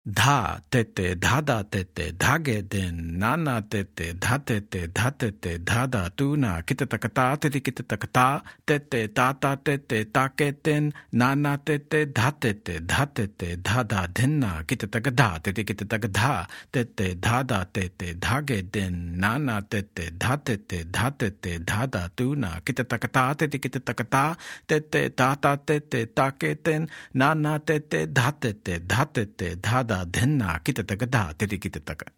Dha tete dhada tete dhage den nana tete dhatete dhatete dhada tuna kitatakata tete kitatakata tete tata tete taketen nana tete dhatete dhatete dhada dhinna kitatakada tete kitatakada tete dhada tete dhage den nana tete dhatete dhatete dhada tuna kitatakata tete kitatakata tete tata tete taketen nana tete dhatete dhatete dhada dhenna kitataka tete kitataka.